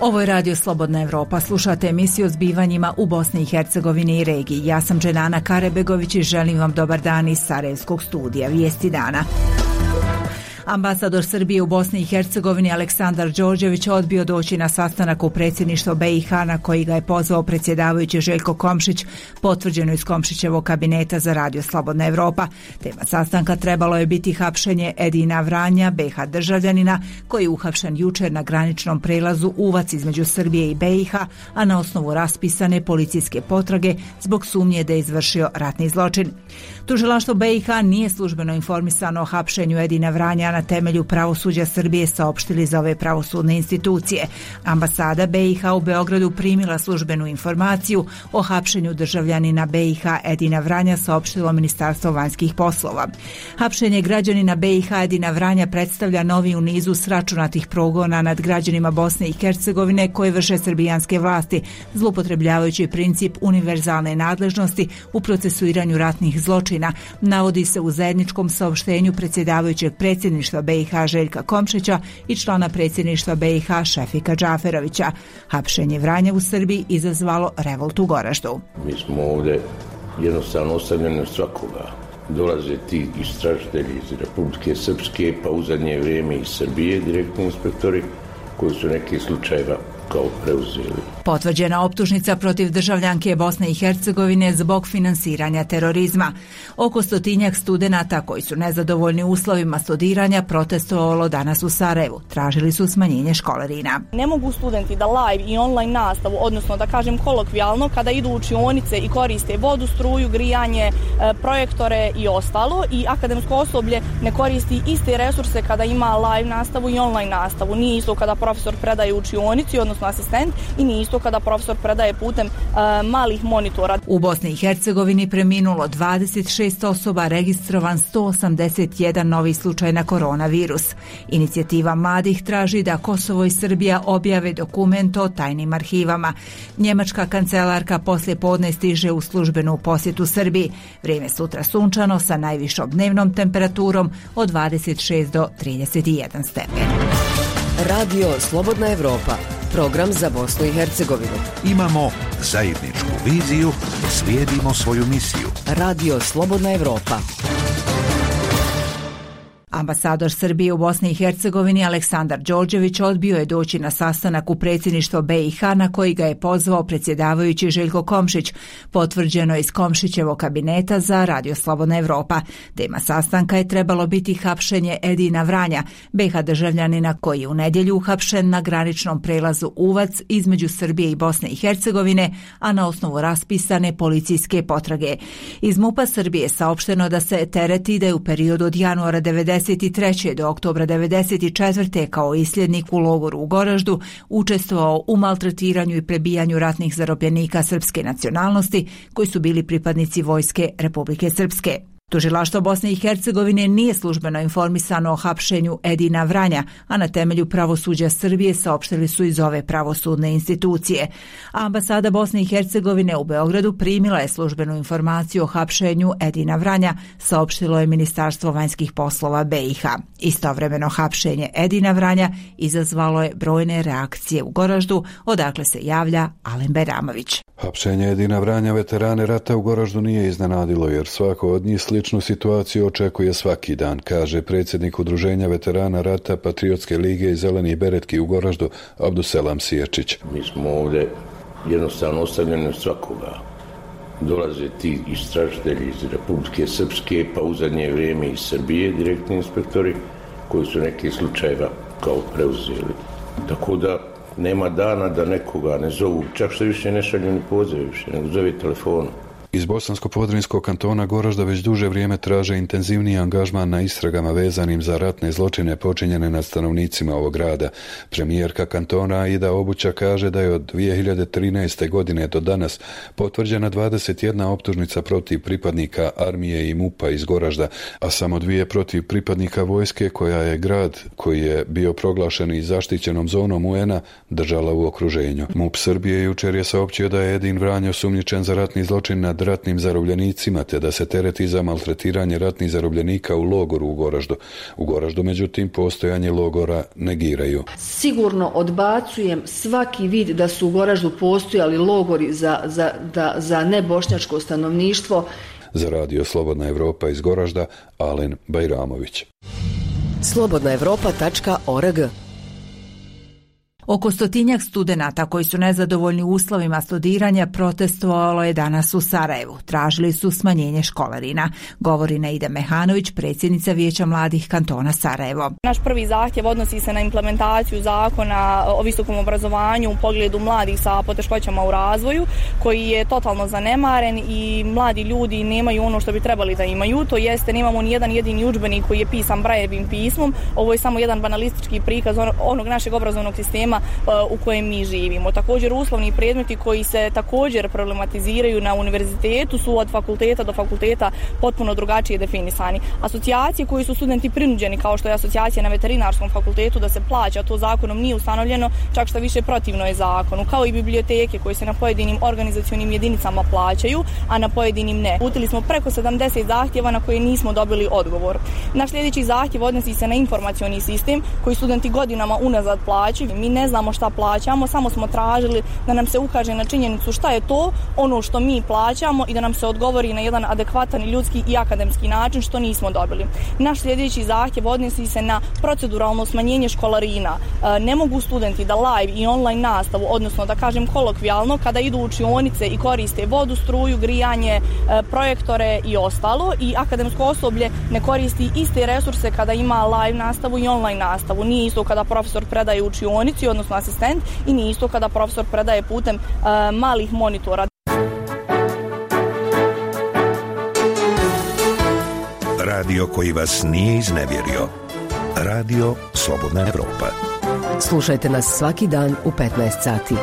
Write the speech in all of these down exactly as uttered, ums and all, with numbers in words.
Ovo je Radio Slobodna Evropa. Slušate emisiju o zbivanjima u Bosni i Hercegovini i regiji. Ja sam Dženana Karebegović i želim vam dobar dan iz Sarajevskog studija. Vijesti dana. Ambasador Srbije u Bosni i Hercegovini Aleksandar Đorđević odbio doći na sastanak u predsjedništvo B i H na koji ga je pozvao predsjedavajući Željko Komšić, potvrđeno iz Komšićevog kabineta za Radio Slobodna Evropa. Tema sastanka trebalo je biti hapšenje Edina Vranja, B i H državljanina, koji je uhapšen jučer na graničnom prelazu Uvac između Srbije i B i H, a na osnovu raspisane policijske potrage zbog sumnje da je izvršio ratni zločin. Tužilaštvo B i H nije službeno informisano o hapšenju Edina Vranja, na temelju pravosuđa Srbije saopštili za ove pravosudne institucije. Ambasada B i H u Beogradu primila službenu informaciju o hapšenju državljanina B i H Edina Vranja, saopštilo Ministarstvo vanjskih poslova. Hapšenje građanina B i H Edina Vranja predstavlja novi u nizu sračunatih progona nad građanima Bosne i Hercegovine koje vrše srbijanske vlasti, zloupotrebljavajući princip univerzalne nadležnosti u procesuiranju ratnih zločina, navodi se u zajedničkom saopštenju predsjedavajućeg predsjedništva B i H Željka Komšića i člana predsjedništva B i H Šefika Džaferovića. Hapšenje Vranja u Srbiji izazvalo revolt u Goraždu. Mi smo ovdje jednostavno ostavljeni od svakoga. Dolaze ti istražitelji iz Republike Srpske, pa u zadnje vrijeme iz Srbije direktni inspektori koji su neke slučajeva kao preuzeli. Potvrđena optužnica protiv državljanke Bosne i Hercegovine zbog finansiranja terorizma. Oko stotinjak studenata koji su nezadovoljni uslovima studiranja protestovalo danas u Sarajevu. Tražili su smanjenje školarina. Ne mogu studenti da live i online nastavu, odnosno da kažem kolokvijalno, kada idu u učionice i koriste vodu, struju, grijanje, projektore i ostalo, i akademsko osoblje ne koristi iste resurse kada ima live nastavu i online nastavu. Nije isto kada profesor predaje u učionici, odnosno asistent, i nije isto kada profesor predaje putem uh, malih monitora. U Bosni i Hercegovini preminulo dvadeset šest osoba, registrovan sto osamdeset jedan novi slučaj na koronavirus. Inicijativa mladih traži da Kosovo i Srbija objave dokument o tajnim arhivama. Njemačka kancelarka poslije podne stiže u službenu posjetu Srbiji. Vrijeme sutra sunčano sa najvišom dnevnom temperaturom od dvadeset šest do trideset jedan stepen. Radio Slobodna Evropa, program za Bosnu i Hercegovinu. Imamo zajedničku viziju, slijedimo svoju misiju. Radio Slobodna Evropa. Ambasador Srbije u Bosni i Hercegovini Aleksandar Đorđević odbio je doći na sastanak u predsjedništvo B i H na koji ga je pozvao predsjedavajući Željko Komšić, potvrđeno iz Komšićevog kabineta za Radio Slobodna Evropa. Tema sastanka je trebalo biti hapšenje Edina Vranja, B i H državljanina koji je u nedjelju uhapšen na graničnom prelazu Uvac između Srbije i Bosne i Hercegovine, a na osnovu raspisane policijske potrage. Iz MUP-a Srbije je saopšteno da se tereti da je u periodu od januara devedeset treće do oktobra devedeset četvrte kao isljednik u logoru u Goraždu učestvovao u maltretiranju i prebijanju ratnih zarobljenika srpske nacionalnosti koji su bili pripadnici vojske Republike Srpske. Tužilaštvo Bosne i Hercegovine nije službeno informisano o hapšenju Edina Vranja, a na temelju pravosuđa Srbije saopštili su iz ove pravosudne institucije. Ambasada Bosne i Hercegovine u Beogradu primila je službenu informaciju o hapšenju Edina Vranja, saopštilo je Ministarstvo vanjskih poslova B i H. Istovremeno hapšenje Edina Vranja izazvalo je brojne reakcije u Goraždu, odakle se javlja Alen Beramović. Hapšenje Edina Vranja, veterane rata u Goraždu, nije iznenadilo jer svako od njih sličnu situaciju očekuje svaki dan, kaže predsjednik Udruženja veterana rata Patriotske lige i Zeleni beretki u Goraždu Abduselam Siječić. Mi smo ovdje jednostavno ostavljeni od svakoga. Dolaze ti istražitelji iz Republike Srpske, pa u zadnje vrijeme iz Srbije direktni inspektori koji su neke slučajeva kao preuzeli. Tako da nema dana da nekoga ne zovu, čak što više ne šalju ni pozive više, nego zove telefonom. Iz Bosansko-Podrinjskog kantona Goražda već duže vrijeme traže intenzivniji angažman na istragama vezanim za ratne zločine počinjene nad stanovnicima ovog grada. Premijerka kantona Aida Obuća kaže da je od dvije hiljade trinaeste. godine do danas potvrđena dvadeset jedna optužnica protiv pripadnika armije i MUP-a iz Goražda, a samo dvije protiv pripadnika vojske koja je grad koji je bio proglašen i zaštićenom zonom U N-a držala u okruženju. MUP Srbije jučer je saopćio da je Edin Vranja osumnjičen za ratni zločin nad ratnim zarobljenicima te da se tereti za maltretiranje ratnih zarobljenika u logoru u Goraždu. U Goraždu, međutim, postojanje logora negiraju. Sigurno odbacujem svaki vid da su u Goraždu postojali logori za, za, da, za nebošnjačko stanovništvo. Za radio Slobodna Evropa iz Goražda, Alen Bajramović. slobodna evropa tačka org. Oko stotinjak studenata koji su nezadovoljni uslovima studiranja protestovalo je danas u Sarajevu. Tražili su smanjenje školarina, govori Naida Mehanović, predsjednica Vijeća mladih kantona Sarajevo. Naš prvi zahtjev odnosi se na implementaciju zakona o visokom obrazovanju u pogledu mladih sa poteškoćama u razvoju, koji je totalno zanemaren i mladi ljudi nemaju ono što bi trebali da imaju. To jeste, nemamo ni jedan jedini udžbenik koji je pisan Brajevim pismom. Ovo je samo jedan banalistički prikaz onog našeg obrazovnog sistema u kojem mi živimo. Također uslovni predmeti koji se također problematiziraju na univerzitetu su od fakulteta do fakulteta potpuno drugačije definisani. Asocijacije koji su studenti prinuđeni, kao što je asocijacija na veterinarskom fakultetu, da se plaća, to zakonom nije ustanovljeno, čak što više protivno je zakonu, kao i biblioteke koje se na pojedinim organizacionim jedinicama plaćaju, a na pojedinim ne. Uputili smo preko sedamdeset zahtjeva na koje nismo dobili odgovor. Naš sljedeći zahtjev odnosi se na informacioni sistem koji studenti godinama unazad plaćaju. Mi ne znamo šta plaćamo, samo smo tražili da nam se ukaže na činjenicu šta je to ono što mi plaćamo i da nam se odgovori na jedan adekvatan ljudski i akademski način, što nismo dobili. Naš sljedeći zahtjev odnosi se na proceduralno smanjenje školarina. Ne mogu studenti da live i online nastavu, odnosno da kažem kolokvijalno, kada idu u učionice i koriste vodu, struju, grijanje, projektore i ostalo, i akademsko osoblje ne koristi iste resurse kada ima live nastavu i online nastavu. Nije isto kada profesor predaje u učionici, odnosno asistent, i nije isto kada profesor predaje putem uh, malih monitora. Radio koji vas nije iznevjerio. Radio Slobodna Evropa. Slušajte nas svaki dan u petnaest sati.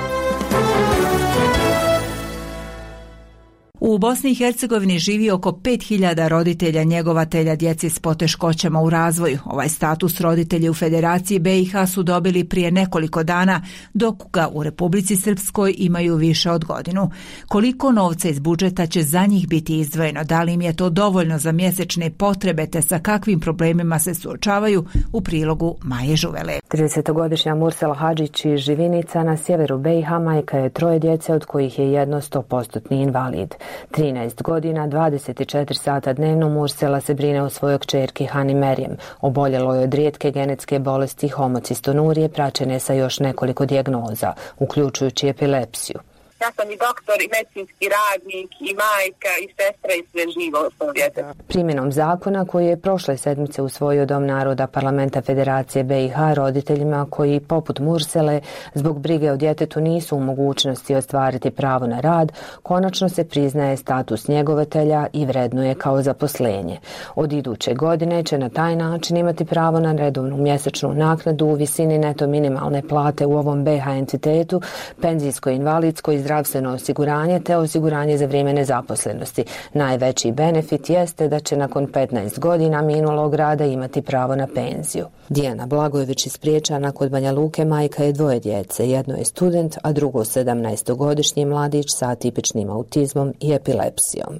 U Bosni i Hercegovini živi oko pet hiljada roditelja njegovatelja djeci s poteškoćama u razvoju. Ovaj status roditelji u Federaciji B i H su dobili prije nekoliko dana, dok ga u Republici Srpskoj imaju više od godinu. Koliko novca iz budžeta će za njih biti izdvojeno, da li im je to dovoljno za mjesečne potrebe, te sa kakvim problemima se suočavaju, u prilogu Maje Žuvele. tridesetogodišnja Mursela Hadžić iz Živinica na sjeveru B i H majka je troje djece, od kojih je jedno sto posto invalid. trinaest godina, dvadeset četiri sata dnevno Mursela se brine o svojoj kćerki Hani Merjem. Oboljelo je od rijetke genetske bolesti homocistonurije, praćene sa još nekoliko dijagnoza, uključujući epilepsiju. Ja sam i doktor, i medicinski radnik, i majka, i sestra, i sve živo u svom djetetu. Primjenom zakona koji je prošle sedmice usvojio Dom naroda Parlamenta Federacije B i H, roditeljima koji, poput Mursele, zbog brige o djetetu nisu u mogućnosti ostvariti pravo na rad, konačno se priznaje status njegovatelja i vrednuje kao zaposlenje. Od iduće godine će na taj način imati pravo na redovnu mjesečnu naknadu u visini neto minimalne plate u ovom B H entitetu, penzijsko, invalidsko i zdravstveno osiguranje te osiguranje za vrijeme nezaposlenosti. Najveći benefit jeste da će nakon petnaest godina minulog rada imati pravo na penziju. Dijana Blagojević iz Priječana kod Banja Luke majka je dvoje djece. Jedno je student, a drugo sedamnaestogodišnji mladić sa atipičnim autizmom i epilepsijom.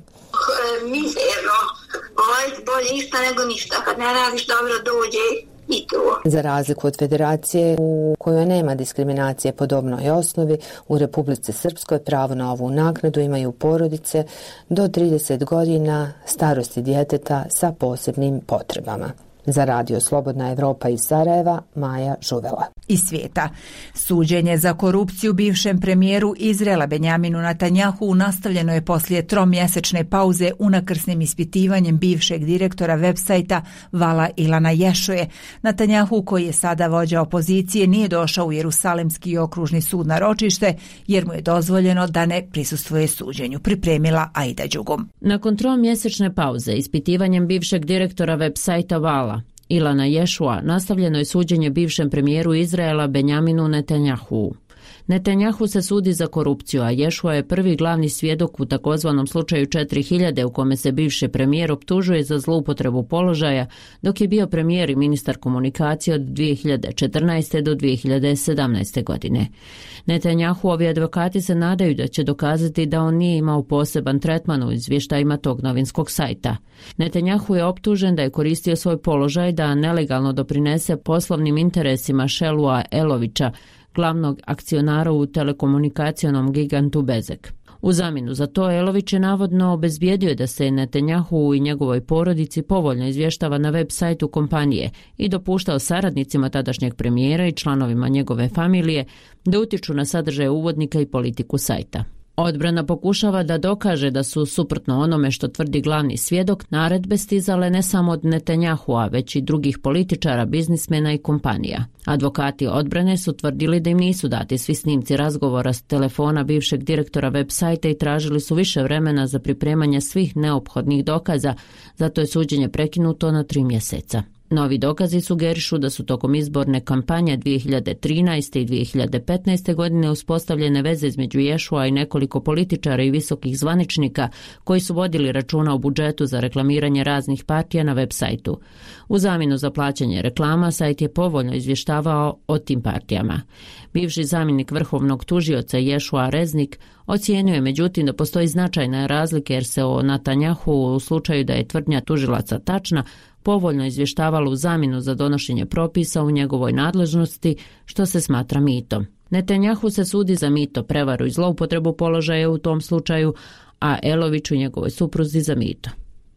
Mizerno. Bolje ništa nego ništa. Kad ne radiš dobro dođe i to. Za razliku od Federacije u kojoj nema diskriminacije po dobnoj osnovi, u Republici Srpskoj pravo na ovu naknadu imaju porodice do trideset godina starosti djeteta sa posebnim potrebama. Za radio Slobodna Evropa iz Sarajeva, Maja Žuvela. Iz svijeta. Suđenje za korupciju bivšem premijeru Izraela Benjaminu Netanjahu nastavljeno je poslije tromjesečne pauze unakrsnim ispitivanjem bivšeg direktora websajta Vala Ilana Ješoje. Netanjahu, koji je sada vođa opozicije, nije došao u Jerusalimski okružni sud na ročište jer mu je dozvoljeno da ne prisustvuje suđenju. Pripremila Aida Đugum. Nakon tromjesečne pauze ispitivanjem bivšeg direktora websajta Vala Ilana Ješua nastavljeno je suđenje bivšem premijeru Izraela Benjaminu Netanjahu. Netanjahu se sudi za korupciju, a Ješua je prvi glavni svjedok u takozvanom slučaju četiri hiljade u kome se bivši premijer optužuje za zloupotrebu položaja dok je bio premijer i ministar komunikacije od dvije hiljade četrnaeste. do dvije hiljade sedamnaeste. godine. Netanjahuovi advokati se nadaju da će dokazati da on nije imao poseban tretman u izvještajima tog novinskog sajta. Netanjahu je optužen da je koristio svoj položaj da nelegalno doprinese poslovnim interesima Šelua Elovića, glavnog akcionara u telekomunikacionom gigantu Bezek. U zamjenu za to Elović je navodno obezbijedio da se Netanjahu i njegovoj porodici povoljno izvještava na web sajtu kompanije i dopuštao saradnicima tadašnjeg premijera i članovima njegove familije da utiču na sadržaj uvodnika i politiku sajta. Odbrana pokušava da dokaže da su, suprotno onome što tvrdi glavni svjedok, naredbe stizale ne samo od Netanjahua, već i drugih političara, biznismena i kompanija. Advokati odbrane su tvrdili da im nisu dati svi snimci razgovora s telefona bivšeg direktora web sajta i tražili su više vremena za pripremanje svih neophodnih dokaza, zato je suđenje prekinuto na tri mjeseca. Novi dokazi sugerišu da su tokom izborne kampanje dvije hiljade trinaeste. i dvije hiljade petnaeste. godine uspostavljene veze između Ješua i nekoliko političara i visokih zvaničnika koji su vodili računa o budžetu za reklamiranje raznih partija na web sajtu. U zamjenu za plaćanje reklama sajt je povoljno izvještavao o tim partijama. Bivši zamjenik vrhovnog tužioca Ješua Reznik ocijenio je međutim da postoji značajna razlika jer se o Netanjahu u slučaju da je tvrdnja tužilaca tačna povoljno izvještavalo u zamjenu za donošenje propisa u njegovoj nadležnosti, što se smatra mitom. Netanjahu se sudi za mito, prevaru i zloupotrebu položaja u tom slučaju, a Eloviću i njegovoj supruzi za mito.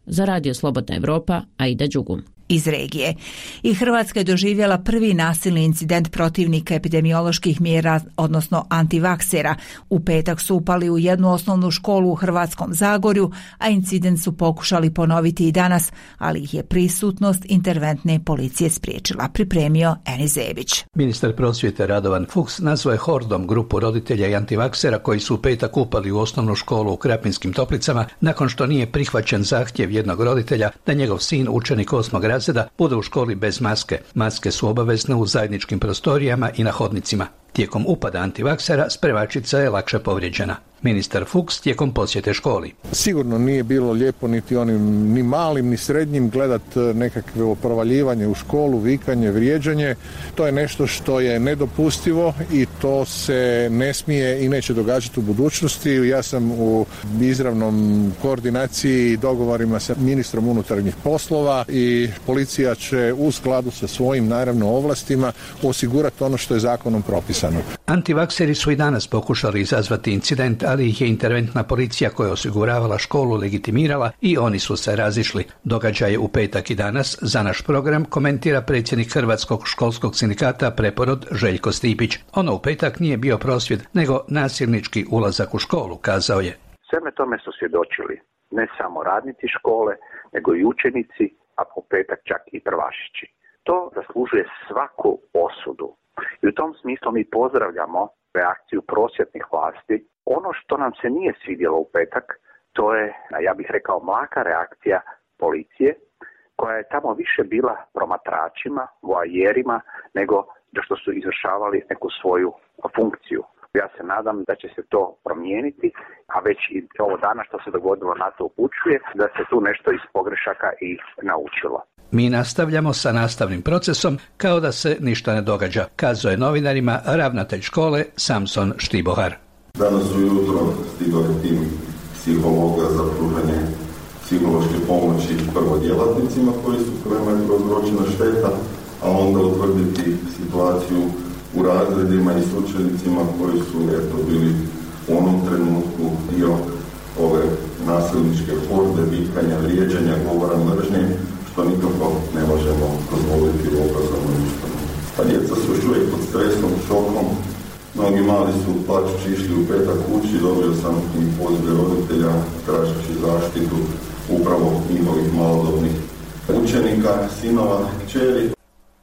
Za Radio Slobodna Evropa, Aida Đugum. Iz regije. I Hrvatska je doživjela prvi nasilni incident protivnika epidemioloških mjera, odnosno antivaksera. U petak su upali u jednu osnovnu školu u Hrvatskom Zagorju, a incident su pokušali ponoviti i danas, ali ih je prisutnost interventne policije spriječila. Pripremio Enis Zebić. Ministar prosvjete Radovan Fuchs nazvao je hordom grupu roditelja i antivaksera koji su u petak upali u osnovnu školu u Krapinskim Toplicama nakon što nije prihvaćen zahtjev jednog roditelja da njegov sin, učenik osmog razreda, bude u školi bez maske. Maske su obavezne u zajedničkim prostorijama i na hodnicima. Tijekom upada antivaksera spremačica je lakše povrijeđena. Ministar Fuchs tijekom posjete školi. Sigurno nije bilo lijepo niti onim ni malim ni srednjim gledat nekakve provaljivanje u školu, vikanje, vrijeđanje. To je nešto što je nedopustivo i to se ne smije i neće događati u budućnosti. Ja sam u izravnom koordinaciji i dogovorima sa ministrom unutarnjih poslova i policija će u skladu sa svojim naravno ovlastima osigurati ono što je zakonom propisano. Antivakseri su i danas pokušali izazvati incident, ali ih je interventna policija koja je osiguravala školu legitimirala i oni su se razišli. Događaje u petak i danas za naš program komentira predsjednik Hrvatskog školskog sindikata Preporod Željko Stipić. Ono u petak nije bio prosvjed, nego nasilnički ulazak u školu, kazao je. Sveme tome su svjedočili ne samo radnici škole, nego i učenici, a po petak čak i prvašići. To zaslužuje svaku osudu. I u tom smislu mi pozdravljamo reakciju prosvjetnih vlasti. Ono što nam se nije svidjelo u petak, to je, ja bih rekao, mlaka reakcija policije, koja je tamo više bila promatračima, voajerima, nego da što su izvršavali neku svoju funkciju. Ja se nadam da će se to promijeniti, a već i ovo dana što se dogodilo na to upućuje, da se tu nešto iz pogrešaka i naučilo. Mi nastavljamo sa nastavnim procesom kao da se ništa ne događa, kazao je novinarima ravnatelj škole Samson Štibohar. Danas ujutro stigao je tim psihologa za pružanje psihološke pomoći prvo djelatnicima koji su kojima je prouzročena šteta, a onda utvrditi situaciju u razredima i s učenicima koji su eto bili u onom trenutku dio ove nasilničke horde, vikanja, vrijeđanja, govora mržnje, što nikako ne možemo dozvoliti u obrazovnom ustanovu. A djeca su još uvijek pod stresom, šokom. Mnogi mali su plačući išli u petak kući, dobio sam i pozive roditelja tražeći zaštitu upravo njihovih malodobnih učenika, sinova, kćeri.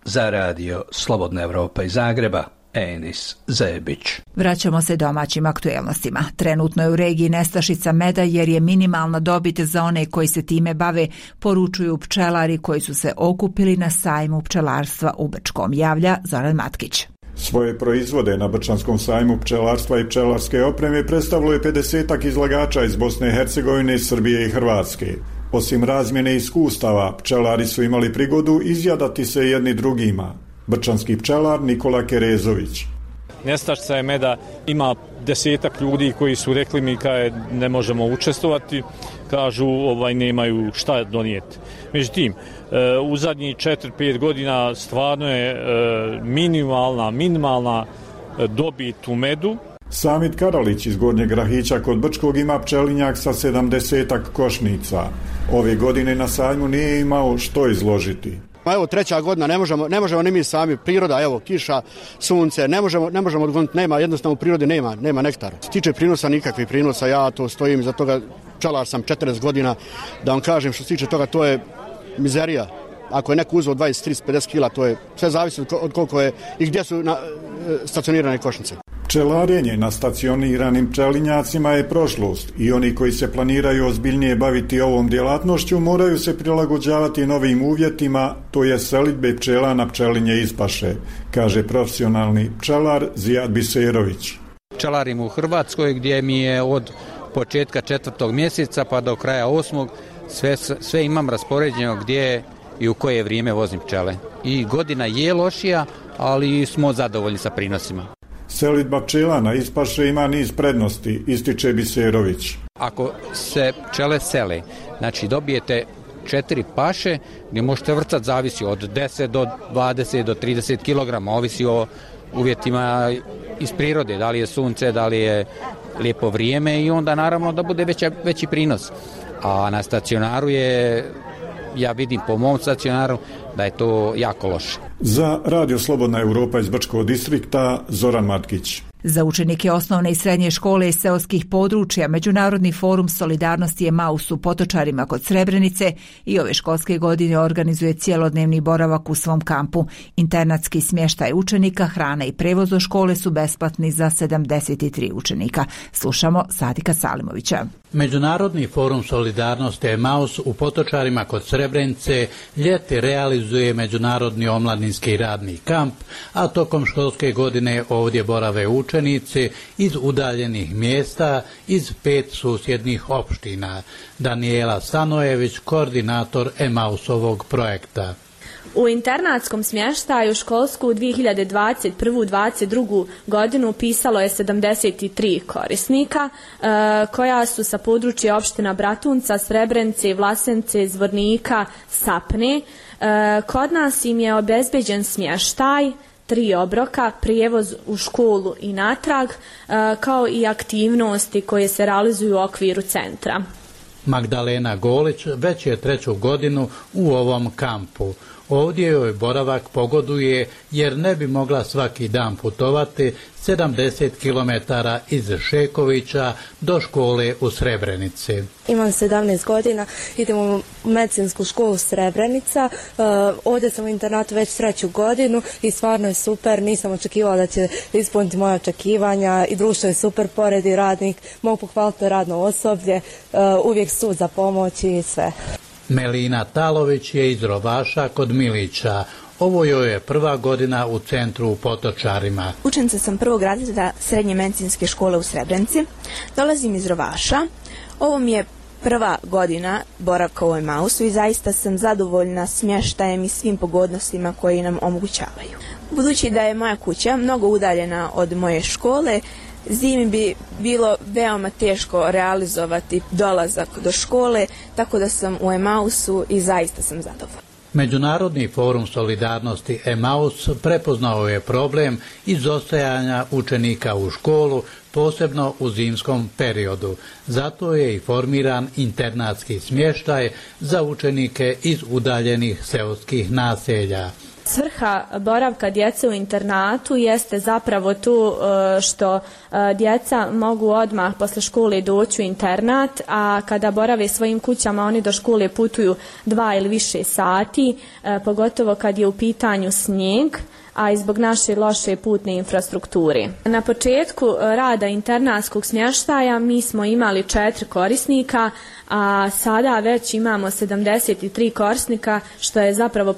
Za Radio Slobodna Evropa iz Zagreba, Enis Zebić. Vraćamo se domaćim aktuelnostima. Trenutno je u regiji nestašica meda jer je minimalna dobit za one koji se time bave, poručuju pčelari koji su se okupili na sajmu pčelarstva u Brčkom, javlja Zoran Matkić. Svoje proizvode na Brčanskom sajmu pčelarstva i pčelarske opreme predstavilo je pedesetak izlagača iz Bosne i Hercegovine, Srbije i Hrvatske. Osim razmjene iskustava, pčelari su imali prigodu izjadati se jedni drugima. Brčanski pčelar Nikola Kerezović. Nestašica je meda, ima desetak ljudi koji su rekli mi kaj ne možemo učestvovati, kažu ovaj nemaju šta donijeti. Međutim, u zadnjih četiri pet godina stvarno je minimalna, minimalna dobit u medu. Samit Karalić iz Gornjeg Rahića kod Brčkog ima pčelinjak sa sedamdesetak košnica. Ove godine na sajmu nije imao što izložiti. Evo treća godina, ne možemo, ne možemo ni mi sami, priroda, evo kiša, sunce, ne možemo, ne možemo odgoniti, nema, jednostavno u prirodi nema, nema nektara. Što se tiče prinosa, nikakvih prinosa, ja to stojim iza toga, pčelar sam četrdeset godina, da vam kažem što se tiče toga, to je mizerija. Ako je neko uzeo dvadeset, trideset, pedeset kila, to je, sve zavisi od koliko je i gdje su na, stacionirane košnice. Pčelarenje na stacioniranim pčelinjacima je prošlost i oni koji se planiraju ozbiljnije baviti ovom djelatnošću moraju se prilagođavati novim uvjetima, to je selidbe pčela na pčelinje ispaše, kaže profesionalni pčelar Zijad Biserović. Pčelarim u Hrvatskoj gdje mi je od početka četvrtog mjeseca pa do kraja osmog sve, sve imam raspoređeno gdje i u koje vrijeme vozim pčele. I godina je lošija, ali smo zadovoljni sa prinosima. Selidba pčela na ispaše ima niz prednosti, ističe Biserović. Ako se pčele sele, znači dobijete četiri paše gdje možete vrcati, zavisi od deset do dvadeset do trideset kilograma, ovisi o uvjetima iz prirode, da li je sunce, da li je lijepo vrijeme i onda naravno da bude veća, veći prinos. A na stacionaru je, ja vidim po mom stacionaru, da je to jako loše. Za Radio Slobodna Europa iz Brčkog distrikta Zoran Matkić. Za učenike osnovne i srednje škole iz seoskih područja Međunarodni forum solidarnosti Emaus u Potočarima kod Srebrenice i ove školske godine organizuje cjelodnevni boravak u svom kampu. Internatski smještaj učenika, hrana i prevoz do škole su besplatni za sedamdeset tri učenika. Slušamo Sadika Salimovića. Međunarodni forum solidarnosti Emaus u Potočarima kod Srebrenice ljeti realizuje međunarodni omladinski radni kamp, a tokom školske godine ovdje borave učenici iz udaljenih mjesta iz pet susjednih opština. Daniela Stanojević, koordinator Emausovog projekta. U internatskom smještaju školsku dvije hiljade dvadeset prvu dvadeset drugu godinu upisalo je sedamdeset tri korisnika e, koja su sa područja opština Bratunca, Srebrenice, Vlasence, Zvornika, Sapne. E, kod nas im je obezbeđen smještaj, tri obroka, prijevoz u školu i natrag, e, kao i aktivnosti koje se realizuju u okviru centra. Magdalena Golić već je treću godinu u ovom kampu. Ovdje joj boravak pogoduje jer ne bi mogla svaki dan putovati sedamdeset kilometara iz Šekovića do škole u Srebrenici. Imam sedamnaest godina, idem u medicinsku školu Srebrenica, uh, ovdje sam u internatu već treću godinu i stvarno je super, nisam očekivala da će ispuniti moje očekivanja i društvo je super, pored i radnik, mogu pohvaliti radno osoblje, uh, uvijek su za pomoć i sve. Melina Talović je iz Rovaša kod Milića. Ovo joj je prva godina u centru u Potočarima. Učenica sam prvog razreda srednje medicinske škole u Srebrenici. Dolazim iz Rovaša. Ovo mi je prva godina boravka u Emausu i zaista sam zadovoljna smještajem i svim pogodnostima koji nam omogućavaju. Budući da je moja kuća mnogo udaljena od moje škole, zimi bi bilo veoma teško realizovati dolazak do škole, tako da sam u Emausu i zaista sam zadovoljna. Međunarodni forum solidarnosti Emaus prepoznao je problem izostajanja učenika u školu, posebno u zimskom periodu. Zato je i formiran internatski smještaj za učenike iz udaljenih seoskih naselja. Svrha boravka djece u internatu jeste zapravo tu što djeca mogu odmah posle škole doći u internat, a kada borave svojim kućama oni do škole putuju dva ili više sati, pogotovo kad je u pitanju snijeg, a i zbog naše loše putne infrastrukture. Na početku rada internatskog smještaja mi smo imali četiri korisnika, a sada već imamo sedamdeset tri korisnika, što je zapravo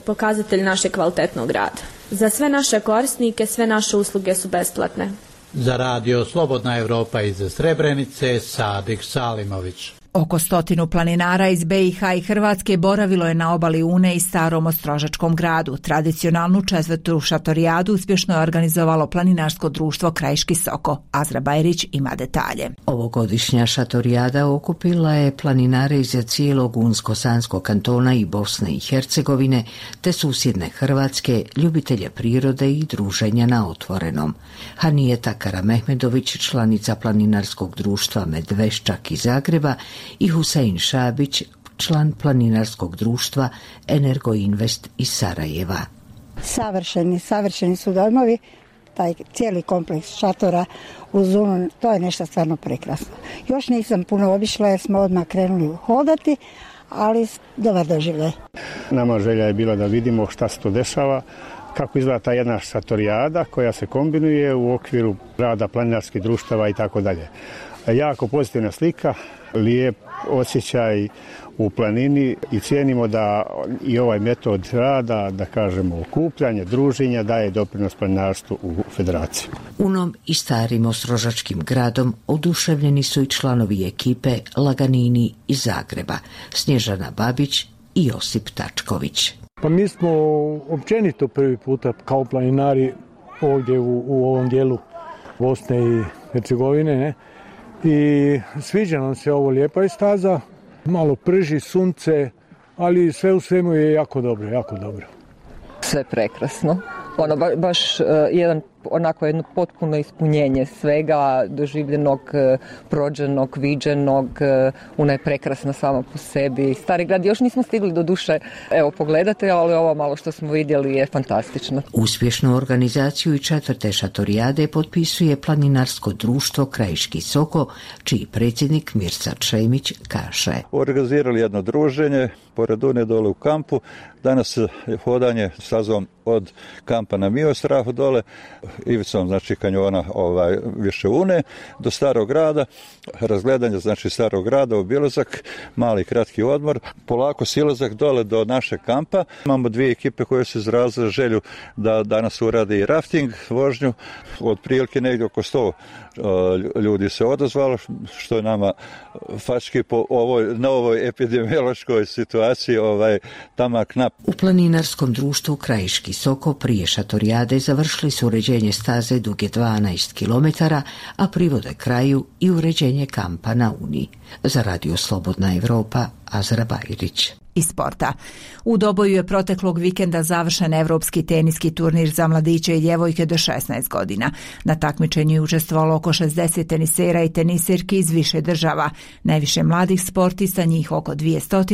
pokazatelj našeg kvalitetnog rada. Za sve naše korisnike sve naše usluge su besplatne. Za radio Slobodna Evropa iz Srebrenice, Sadik Salimović. Oko stotinu planinara iz B i H i Hrvatske boravilo je na obali Une i Starom Ostrožačkom gradu. Tradicionalnu četvrtu šatorijadu uspješno je organizovalo planinarsko društvo Krajiški Soko. Azra Bajrić ima detalje. Ovogodišnja šatorijada okupila je planinare iz cijelog Unsko-Sanskog kantona i Bosne i Hercegovine, te susjedne Hrvatske, ljubitelje prirode i druženja na otvorenom. Hanijeta Karamehmedović, članica planinarskog društva Medveščak iz Zagreba, i Husein Šabić, član planinarskog društva Energoinvest iz Sarajeva. Savršeni, savršeni su dojmovi, taj cijeli kompleks šatora uz Unu, to je nešto stvarno prekrasno. Još nisam puno obišla jer smo odmah krenuli hodati, ali dobar doživljaj. Nama želja je bila da vidimo šta se to dešava, kako izgleda ta jedna šatorijada koja se kombinuje u okviru rada planinarskih društava i tako dalje. Jako pozitivna slika, lijep osjećaj u planini i cijenimo da i ovaj metod rada, da kažemo okupljanje, druženja, daje doprinos planinarstvu u federaciji. Unom i Starim Ostrožačkim gradom oduševljeni su i članovi ekipe Laganini iz Zagreba, Snježana Babić i Josip Tačković. Pa mi smo općenito prvi puta kao planinari ovdje u, u ovom dijelu Bosne i Hercegovine, ne? I sviđa nam se ovo, lijepa je staza, malo prži sunce, ali sve u svemu je jako dobro, jako dobro. Sve prekrasno, ono ba, baš uh, jedan onako jedno potpuno ispunjenje svega doživljenog, prođenog, viđenog. Una je prekrasna sama po sebi. Stari grad još nismo stigli do duše evo pogledati, ali ovo malo što smo vidjeli je fantastično. Uspješnu organizaciju i četvrte šatorijade potpisuje planinarsko društvo Krajiški Soko, čiji predsjednik Mirsa Čemić kaže. Organizirali jedno druženje pored Une dole u kampu. Danas je hodanje sazvom od kampa na Miostrahu dole, ivicom znači kanjona ovaj, više Une, do Starog grada, razgledanje znači Starog grada, obilazak, mali kratki odmor, polako silazak dole do našeg kampa. Imamo dvije ekipe koje su izrazile želju da danas uradi i rafting vožnju, otprilike negdje oko sto ljudi se odazvalo, što je nama fački po ovoj novoj epidemiološkoj situaciji ovaj, tamak nap. U planinarskom društvu Krajiški Soko prije šatorijade završili su uređenje staze duge dvanaest kilometara, a privode kraju i uređenje kampa na Uni. Za Radio Slobodna Evropa, Azra Bajrić. Iz sporta. U Doboju je proteklog vikenda završen evropski teniski turnir za mladiće i djevojke do šesnaest godina. Na takmičenju je učestvovalo oko šezdeset tenisera i tenisirki iz više država. Najviše mladih sportista, njih oko dvjesto,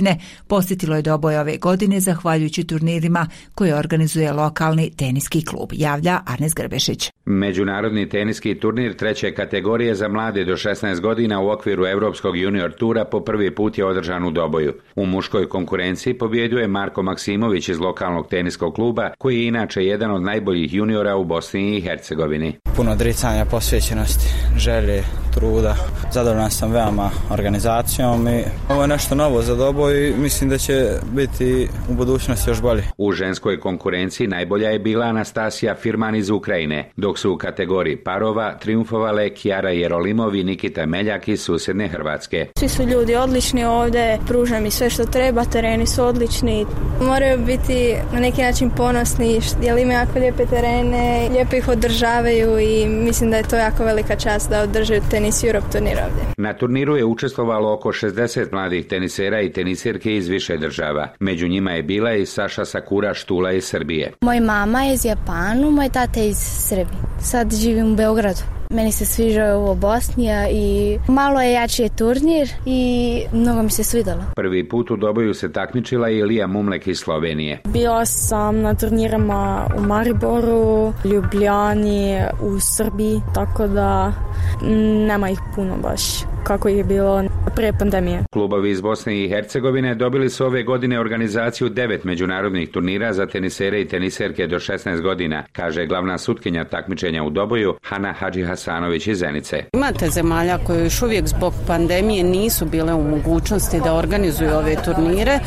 posjetilo je Doboj ove godine zahvaljujući turnirima koje organizuje lokalni teniski klub, javlja Arnes Grbešić. Međunarodni teniski turnir treće kategorije za mlade do šesnaest godina u okviru Evropskog junior tura po prvi put je održan u Doboju. U muškoj konkurenciji pobjedio je Marko Maksimović iz lokalnog teniskog kluba, koji je inače jedan od najboljih juniora u Bosni i Hercegovini. Puno odricanja, posvećenosti, želje, truda. Zadovoljan sam veoma organizacijom i ovo je nešto novo za Doboj i mislim da će biti u budućnosti još bolje. U ženskoj konkurenciji najbolja je bila Anastasija Firman iz Ukrajine, dok su u kategoriji parova triumfovale Kjara Jerolimov i Nikita Meljak iz susjedne Hrvatske. Svi su ljudi odlični ovdje, pruža mi sve što treba, tereni su odlični. Moraju biti na neki način ponosni jer imaju jako lijepe terene, lijepo ih održavaju i mislim da je to jako velika čast da održaju Tenis Europe turnir ovdje. Na turniru je učestvovalo oko šezdeset mladih tenisera i tenisirke iz više država. Među njima je bila i Saša Sakura Štula iz Srbije. Moj mama je iz Japanu, moj tata je iz Srbije. Sad živim u Beogradu. Meni se sviđa ovo Bosnija i malo je jači turnir i mnogo mi se svidalo. Prvi put u Doboju se takmičila i Lija Mumlek iz Slovenije. Bila sam na turnirama u Mariboru, Ljubljani, u Srbiji, tako da nema ih puno baš. kako je bilo pre pandemije. Klubovi iz Bosne i Hercegovine dobili su ove godine organizaciju devet međunarodnih turnira za tenisere i teniserke do šesnaest godina, kaže glavna sutkinja takmičenja u Doboju Hana Hadži Hasanović iz Zenice. Imate zemalja koje još uvijek zbog pandemije nisu bile u mogućnosti da organizuju ove turnire.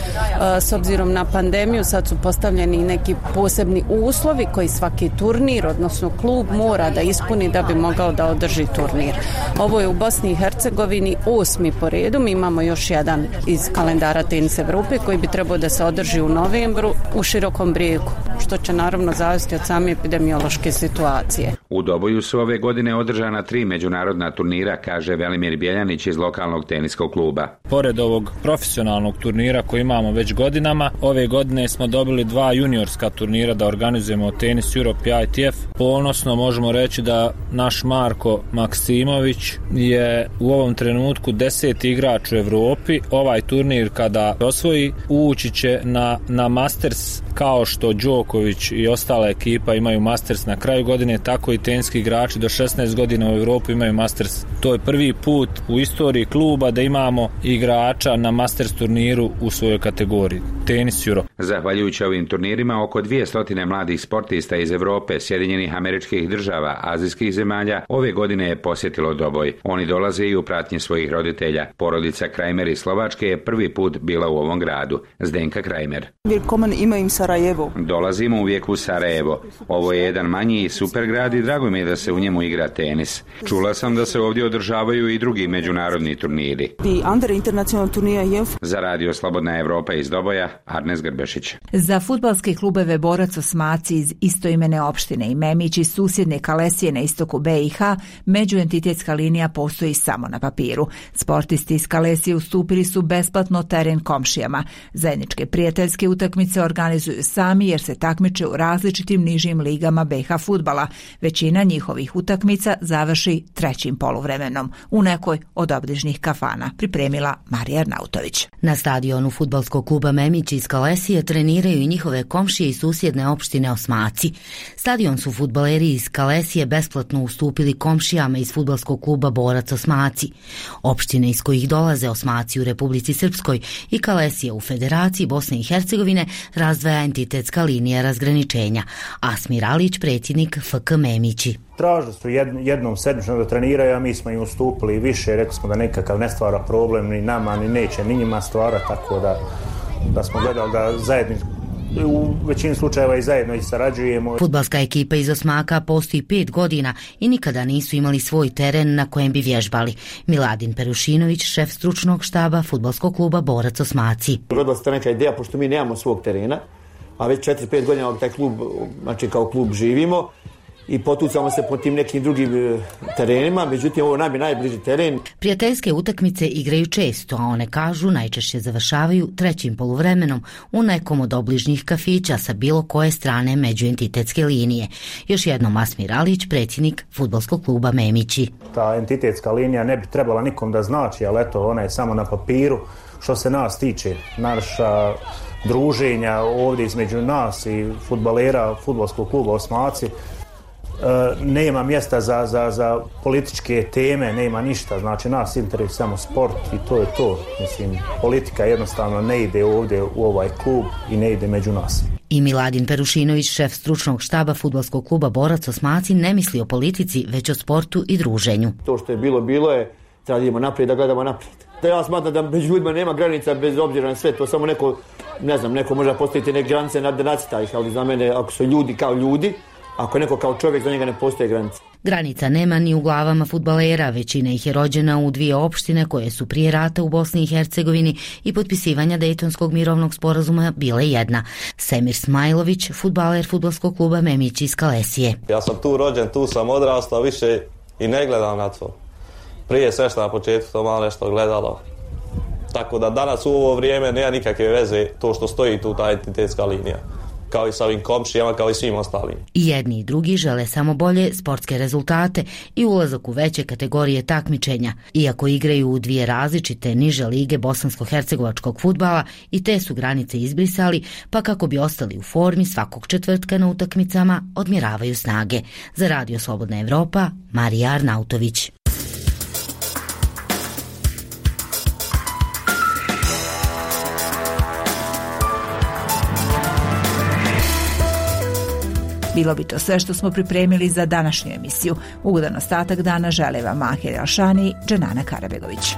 S obzirom na pandemiju sad su postavljeni neki posebni uslovi koji svaki turnir, odnosno klub, mora da ispuni da bi mogao da održi turnir. Ovo je u Bosni i Hercegovini osmi po redu. Mi imamo još jedan iz kalendara Tenis Evrope koji bi trebao da se održi u novembru u Širokom Brijegu, što će naravno zavisiti od same epidemiološke situacije. U Doboju su ove godine održana tri međunarodna turnira, kaže Velimir Bjeljanić iz lokalnog teniskog kluba. Pored ovog profesionalnog turnira koji imamo već godinama, ove godine smo dobili dva juniorska turnira da organizujemo Tenis Europe i I T F. Ponosno možemo reći da naš Marko Maksimović je u ovom trenutku deseti igrač u Evropi. Ovaj turnir kada osvoji ući će na, na Masters, kao što Đoković i ostala ekipa imaju Masters na kraju godine, tako i teniski igrači do šesnaest godina u Evropi imaju Masters. To je prvi put u istoriji kluba da imamo igrača na Masters turniru u svojoj kategoriji Tenis Euro. Zahvaljujući ovim turnirima, oko dvjesto mladih sportista iz Evrope, Sjedinjenih Američkih Država, azijskih zemalja ove godine je posjetilo Doboj. Oni dolaze i u pratnji svojih roditelja. Porodica Krajmer iz Slovačke je prvi put bila u ovom gradu. Zdenka Krajmer. Willkommen immer im Sarajevo. Dolazimo uvijek u Sarajevo. Ovo je jedan manji i super grad i drago mi je da se u njemu igra tenis. Čula sam da se ovdje održavaju i drugi međunarodni turniri. Die andere internationale Turniere. Za radio Slobodna Evropa iz Doboja, Arnes Grbešić. Za fudbalske klubeve Borac Osmaci iz istoimene opštine i Memić iz susjedne Kalesije na istoku B i H, međuentitetska linija postoji samo na papiru. Sportisti iz Kalesije ustupili su besplatno teren komšijama. Zajedničke prijateljske utakmice organizuju sami jer se takmiče u različitim nižim ligama B H fudbala. Većina njihovih utakmica završi trećim poluvremenom u nekoj od obližnjih kafana, pripremila Marija Arnautović. Na stadionu fudbalskog kluba Memić iz Kalesije treniraju i njihove komšije i susjedne opštine Osmaci. Stadion su fudbaleri iz Kalesije besplatno ustupili komšijama iz fudbalskog kluba Borac Osmaci. Opštine iz kojih dolaze Osmaci u Republici Srpskoj i Kalesije u Federaciji Bosne i Hercegovine razdvaja entitetska linija razgraničenja. Asmir Alić, predsjednik F K Memići. Tražili su jednom sedmično da treniraju, a mi smo im ustupili više, rekli smo da nekakav ne stvara problem ni nama, ni neće, ni njima stvara, tako da, da smo gledali da zajedno, u većini slučajeva i zajedno i sarađujemo. Fudbalska ekipa iz Osmaka postoji pet godina i nikada nisu imali svoj teren na kojem bi vježbali. Miladin Perušinović, šef stručnog štaba fudbalskog kluba Borac Osmaci. Rodila se ta neka ideja, pošto mi nemamo svog terena, a već četiri pet godina taj klub, znači kao klub živimo, i potucamo se po tim nekim drugim terenima, međutim ovo nam je najbliži teren. Prijateljske utakmice igraju često, a one kažu najčešće završavaju trećim poluvremenom u nekom od obližnjih kafića sa bilo koje strane međuentitetske linije. Još jednom Asmir Alić, predsjednik fudbalskog kluba Memići. Ta entitetska linija ne bi trebala nikom da znači, ali eto, ona je samo na papiru. Što se nas tiče, naša druženja ovdje između nas i fudbalera fudbalskog kluba Osmaci, Uh, nema mjesta za, za, za političke teme, nema ništa, znači nas interesuje samo sport i to je to. Mislim, politika jednostavno ne ide ovdje u ovaj klub i ne ide među nas. I Miladin Perušinović, šef stručnog štaba fudbalskog kluba Borac Osmaci, ne misli o politici, već o sportu i druženju. To što je bilo, bilo je, treba da idemo naprijed, da gledamo naprijed. Da ja smatram da među ljudima nema granica bez obzira na sve, to samo neko, ne znam, neko može postaviti neke granice na nacrta ih, ali za mene ako su ljudi kao ljudi, ako je neko kao čovjek, za njega ne postoje granice. Granica nema ni u glavama fudbalera, većina ih je rođena u dvije opštine koje su prije rata u Bosni i Hercegovini i potpisivanja Dejtonskog mirovnog sporazuma bile jedna. Semir Smajlović, fudbaler fudbalskog kluba Memić iz Kalesije. Ja sam tu rođen, tu sam odrastao, više i ne gledam na to. Prije sve što na početku to malo nešto gledalo. Tako da danas u ovo vrijeme nema nikakve veze to što stoji tu ta entitetska linija, kao i sa ovim komšijama, kao i svim ostalim. I jedni i drugi žele samo bolje sportske rezultate i ulazak u veće kategorije takmičenja. Iako igraju u dvije različite niže lige bosansko-hercegovačkog fudbala, i te su granice izbrisali, pa kako bi ostali u formi svakog četvrtka na utakmicama odmjeravaju snage. Za radio Slobodna Evropa, Marija Arnautović. Bilo bi to sve što smo pripremili za današnju emisiju. Ugodan ostatak dana žele vam Mahir Alšani i Dženana Karabegović.